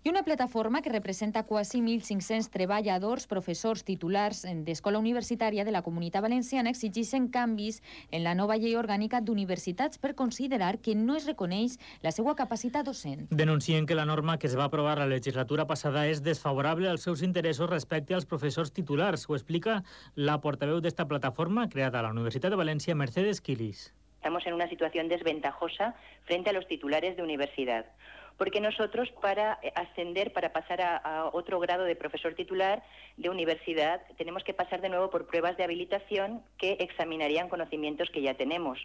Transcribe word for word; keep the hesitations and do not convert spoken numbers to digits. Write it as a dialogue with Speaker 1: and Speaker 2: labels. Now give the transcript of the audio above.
Speaker 1: I una plataforma que representa quasi mil cinc-cents treballadors, professors titulars d'escola universitària de la Comunitat Valenciana exigeixen canvis en la nova llei orgànica d'universitats per considerar que no es reconeix la seva capacitat docent.
Speaker 2: Denuncien que la norma que es va aprovar la legislatura passada és desfavorable als seus interessos respecte als professors titulars. Ho explica la portaveu d'esta plataforma creada a la Universitat de València, Mercedes Quilis.
Speaker 3: Estamos en una situación desventajosa frente a los titulares de universidad, porque nosotros para ascender, para pasar a, a otro grado de profesor titular de universidad, tenemos que pasar de nuevo por pruebas de habilitación que examinarían conocimientos que ya tenemos.